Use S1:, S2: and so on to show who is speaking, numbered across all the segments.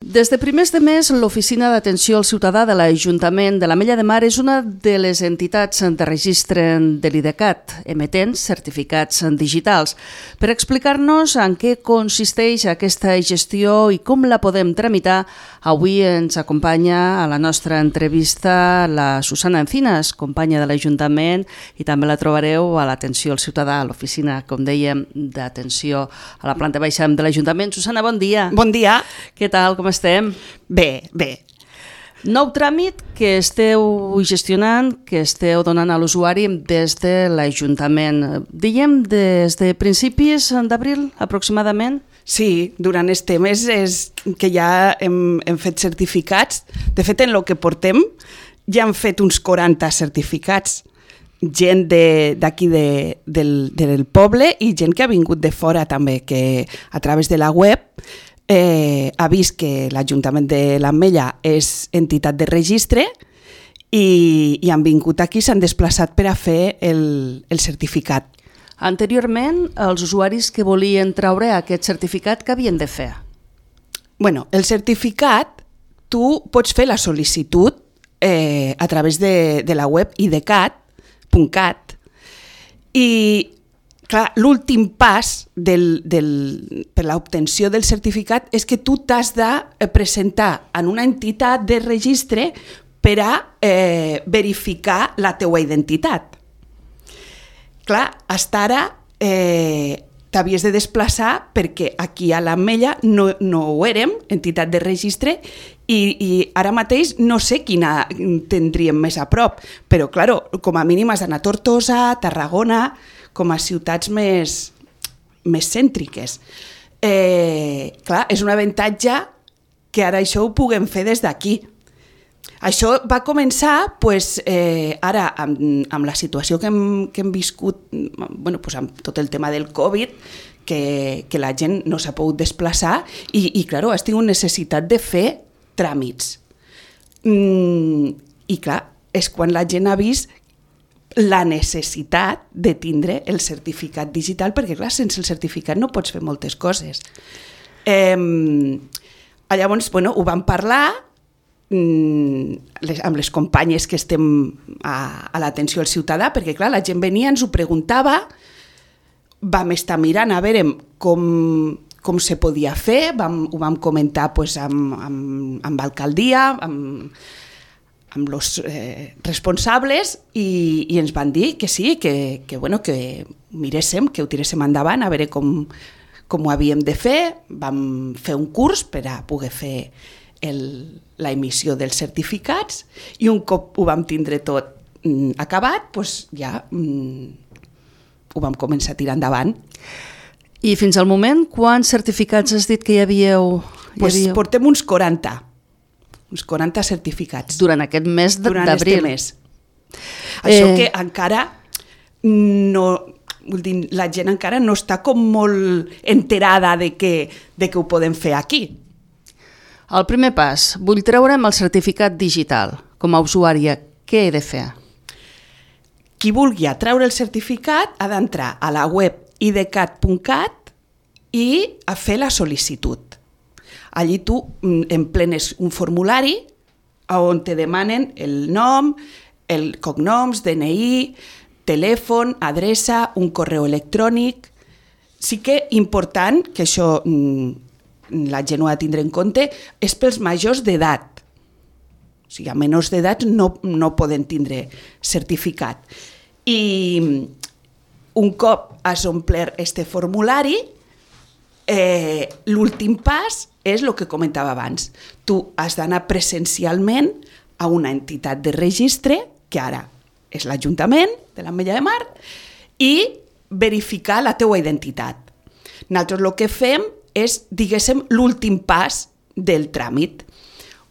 S1: Des de primers de mes, l'Oficina d'Atenció al Ciutadà de l'Ajuntament de l'Ametlla de Mar és una de les entitats de registre de l'IDECAT, emetent certificats digitals. Per explicar-nos en què consisteix aquesta gestió i com la podem tramitar, avui ens acompanya a la nostra entrevista la Susana Encinas, companya de l'Ajuntament, i també la trobareu a l'Atenció al Ciutadà, a l'Oficina, com dèiem, d'Atenció a la planta baixa de l'Ajuntament. Susana, bon dia.
S2: Bon dia.
S1: Què tal, com estem?
S2: Bé.
S1: Nou tràmit que esteu gestionant, que esteu donant a l'usuari des de l'Ajuntament. Diguem des de principis d'abril, aproximadament?
S2: Sí, durant este mes és que ja hem fet certificats. De fet, en el que portem ja hem fet uns 40 certificats. Gent d'aquí del poble i gent que ha vingut de fora també, que a través de la web ha vist que l'Ajuntament de l'Ametlla és entitat de registre i han vingut aquí, s'han desplaçat per a fer el certificat.
S1: Anteriorment, els usuaris que volien treure aquest certificat, què havien de fer?
S2: Bueno, el certificat, tu pots fer la sol·licitud a través de la web idecat.cat i clar, l'últim pas per l'obtenció del certificat és que tu t'has de presentar en una entitat de registre per a verificar la teua identitat. Clar, fins ara t'havies de desplaçar perquè aquí a l'Ametlla no ho érem, entitat de registre, i ara mateix no sé quina tindríem més a prop, però clar, com a mínim has d'anar a Tortosa, Tarragona, com a ciutats més cèntriques. Clar, és un avantatge que ara això ho puguem fer des d'aquí. Això va començar ara amb la situació que hem viscut, amb tot el tema del Covid, que la gent no s'ha pogut desplaçar i clar, has tingut necessitat de fer tràmits. I clar, és quan la gent ha vist la necessitat de tindre el certificat digital, perquè clar, sense el certificat no pots fer moltes coses. Llavors, ho vam parlar amb les companyes que estem a l'atenció al ciutadà, perquè clar, la gent venia, ens ho preguntava, vam estar mirant a veure com se podia fer, ho vam comentar amb l'alcaldia, amb els responsables i ens van dir que sí, que miréssim, que ho tiréssim endavant a veure com ho havíem de fer. Vam fer un curs per a poder fer la emissió dels certificats i un cop ho vam tindre tot acabat, ja ho vam començar a tirar endavant.
S1: I fins al moment, quants certificats has dit que hi havíeu?
S2: Portem uns 40 certificats.
S1: Durant aquest mes d'abril.
S2: Durant aquest mes. Això que encara no... Vull dir, la gent encara no està com molt enterada de que ho podem fer aquí.
S1: El primer pas, vull treure'm el certificat digital. Com a usuària, què he de fer?
S2: Qui vulgui treure el certificat ha d'entrar a la web idecat.cat i a fer la sol·licitud. Allí tu emplenes un formulari on te demanen el nom, el cognoms, DNI, telèfon, adreça, un correu electrònic. Sí que important, que això la gent ho ha de tindre en compte, és pels majors d'edat. O sigui, a menors d'edat no poden tindre certificat. I un cop has omplert este formulari, l'últim pas és el que comentava abans. Tu has d'anar presencialment a una entitat de registre, que ara és l'Ajuntament de l'Ametlla de Mar, i verificar la teua identitat. Nosaltres el que fem és, diguéssim, l'últim pas del tràmit.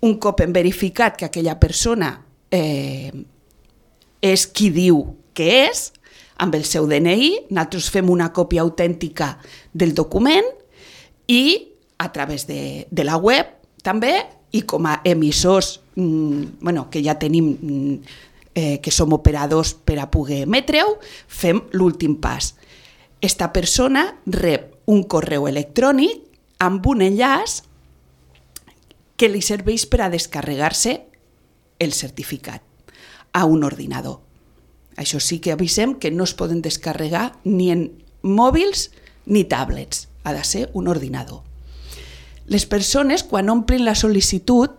S2: Un cop hem verificat que aquella persona és qui diu que és, amb el seu DNI, nosaltres fem una còpia autèntica del document i a través de la web també, i com a emissors que ja tenim, que som operadors per a poder emetre-ho, fem l'últim pas. Esta persona rep un correu electrònic amb un enllaç que li serveix per a descarregar-se el certificat a un ordinador. Això sí que avisem que no es poden descarregar ni en mòbils ni tablets, ha de ser un ordinador. Les persones, quan omplin la sol·licitud,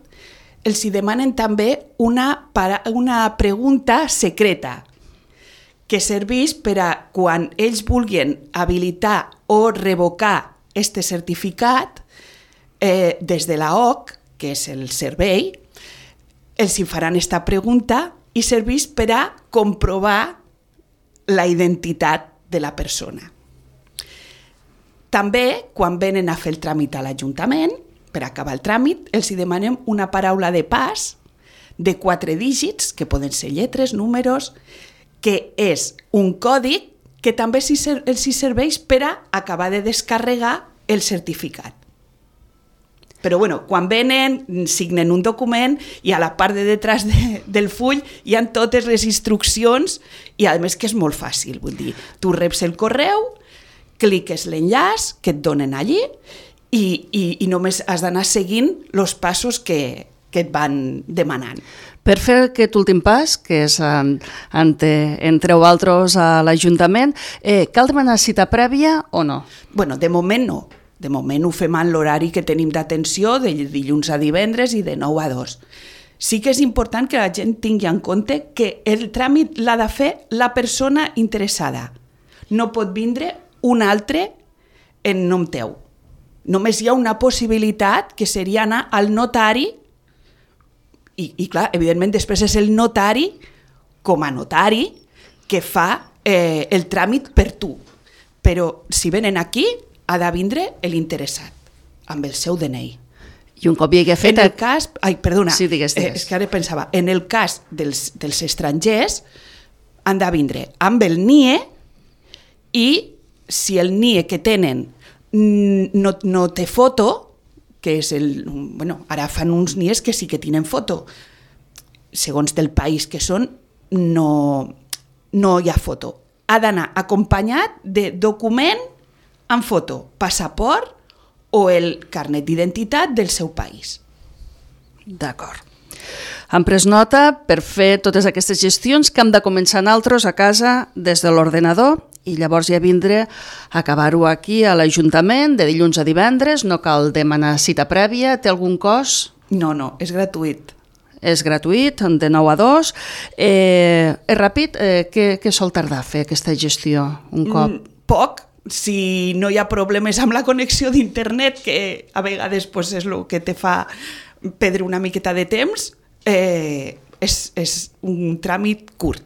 S2: els hi demanen també una pregunta secreta que serveix per a quan ells vulguin habilitar o revocar este certificat des de la OC, que és el servei, els hi faran esta pregunta i serveix per a comprovar la identitat de la persona. També, quan venen a fer el tràmit a l'Ajuntament, per acabar el tràmit, els hi demanem una paraula de pas de 4 dígits, que poden ser lletres, números, que és un còdig que també els hi serveix per a acabar de descarregar el certificat. Però bueno, quan venen, signen un document i a la part de detrás del full hi ha totes les instruccions i a més que és molt fàcil, vull dir, tu reps el correu, cliques l'enllaç que et donen allí i només has d'anar seguint els passos que et van demanant.
S1: Per fer aquest últim pas, que és entre vosaltres a l'Ajuntament, cal demanar cita prèvia o no?
S2: Bueno, de moment no. De moment ho fem en l'horari que tenim d'atenció, de dilluns a divendres i de 9 a 2. Sí que és important que la gent tingui en compte que el tràmit l'ha de fer la persona interessada. No pot vindre un altre en nom teu. Només hi ha una possibilitat, que seria anar al notari, i clar, evidentment després és el notari, com a notari, que fa el tràmit per tu. Però si venen aquí, ha de vindre l'interessat, amb el seu DNI.
S1: I un cop hi hagi fet...
S2: En el cas... Ai, perdona,
S1: sí, digues.
S2: És que ara pensava, en el cas dels estrangers, han de vindre amb el NIE i si el NIE que tenen no té foto, que és el... Bueno, ara fan uns NIEs que sí que tenen foto. Segons del país que són, no hi ha foto. Ha d'anar acompanyat de document amb foto, passaport o el carnet d'identitat del seu país.
S1: D'acord. Hem pres nota per fer totes aquestes gestions que hem de començar nosaltres a casa des de l'ordenador i llavors ja vindre a acabar-ho aquí a l'Ajuntament de dilluns a divendres, no cal demanar cita prèvia, té algun cost?
S2: No, és gratuït.
S1: És gratuït, de 9 a 2. És ràpid? Què sol tardar fer aquesta gestió un cop?
S2: Poc. Si no hi ha problemes amb la connexió d'internet, que a vegades és el que te fa perdre una miqueta de temps, és un tràmit curt,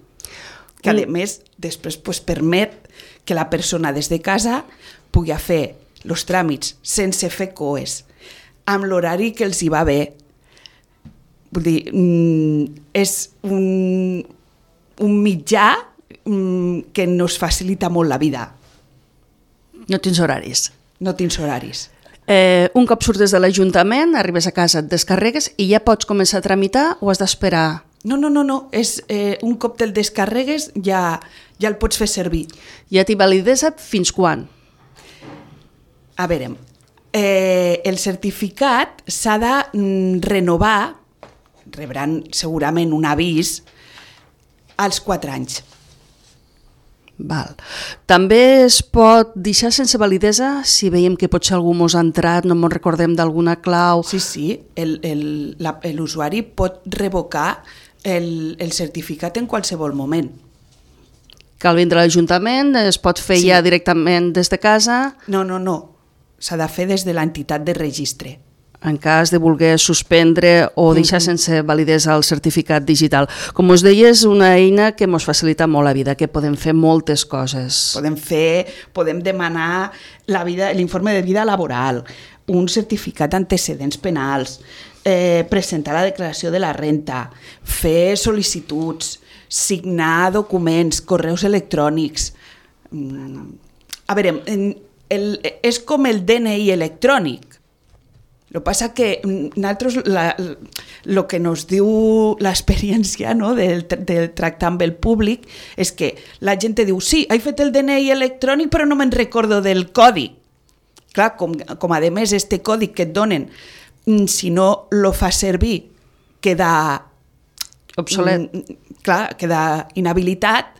S2: que a més després permet que la persona des de casa pugui fer els tràmits sense fer coes, amb l'horari que els hi va bé. Vull dir, és un mitjà que nos facilita molt la vida.
S1: No tens horaris.
S2: No tens horaris.
S1: Un cop surts de l'Ajuntament, arribes a casa, et descarregues i ja pots començar a tramitar o has d'esperar?
S2: No. És, un cop te'l descarregues ja el pots fer servir.
S1: Ja t'hi validesa fins quan?
S2: A veure, el certificat s'ha de renovar, rebran segurament un avís, als 4 anys.
S1: Val. També es pot deixar sense validesa si veiem que potser algú mos ha entrat, no ens recordem d'alguna clau.
S2: Sí, l'usuari pot revocar el certificat en qualsevol moment.
S1: Cal vindre a l'Ajuntament, es pot fer ja directament des de casa?
S2: No. S'ha de fer des de l'entitat de registre.
S1: En cas de voler suspendre o deixar sense validesa el certificat digital. Com us deia, és una eina que ens facilita molt la vida, que podem fer moltes coses.
S2: Podem demanar l'informe de vida laboral, un certificat d'antecedents penals, presentar la declaració de la renta, fer sol·licituds, signar documents, correus electrònics. A veure, és com el DNI electrònic. El que passa que nosaltres, el que ens diu l'experiència del tractar amb el públic és que la gent diu, sí, he fet el DNI electrònic però no me'n recordo del codi. Clar, com a més este codi que et donen si no lo fa servir, queda
S1: obsolet.
S2: Clar, queda inhabilitat.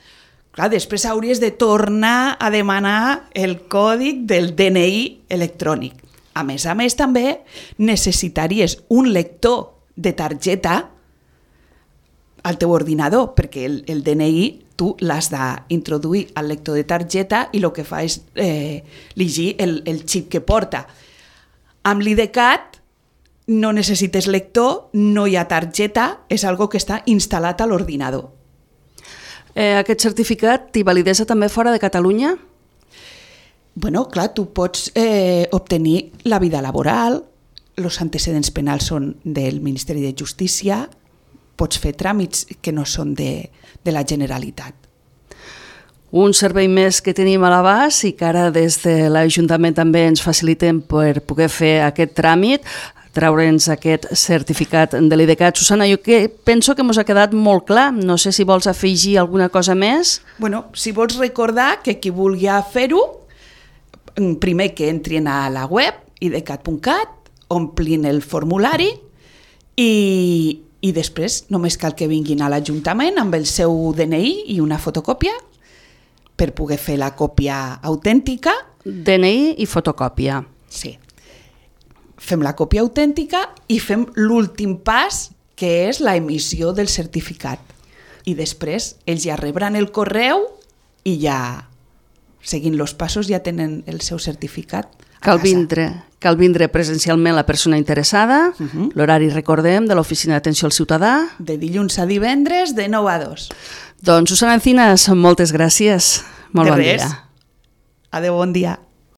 S2: Clar, després hauries de tornar a demanar el còdig del DNI electrònic. A més, també necessitaries un lector de targeta al teu ordinador, perquè el DNI tu l'has d'introduir al lector de targeta i el que fa és llegir el xip que porta. Amb l'IDCAT no necessites lector, no hi ha targeta, és algo que està instal·lat a l'ordinador.
S1: Aquest certificat té validesa també fora de Catalunya?
S2: Bueno, clar, tu pots obtenir la vida laboral, els antecedents penals són del Ministeri de Justícia, pots fer tràmits que no són de la Generalitat.
S1: Un servei més que tenim a l'abast i que ara des de l'Ajuntament també ens facilitem per poder fer aquest tràmit, treure'ns aquest certificat de l'IDCAT. Susana, jo penso que ens ha quedat molt clar. No sé si vols afegir alguna cosa més.
S2: Bueno, si vols recordar que qui vulgui fer-ho, primer que entrin a la web idcat.cat, omplin el formulari i després només cal que vinguin a l'Ajuntament amb el seu DNI i una fotocòpia per poder fer la còpia autèntica.
S1: DNI i fotocòpia.
S2: Sí. Fem la còpia autèntica i fem l'últim pas, que és la emissió del certificat. I després ells ja rebran el correu i ja, seguint els passos, ja tenen el seu certificat a casa.
S1: Cal vindre presencialment la persona interessada. L'horari, recordem, de l'Oficina d'Atenció al Ciutadà.
S2: De dilluns a divendres, de 9 a 2.
S1: Doncs, Susana Encinas, moltes gràcies. Molt bon dia.
S2: Adéu, bon dia.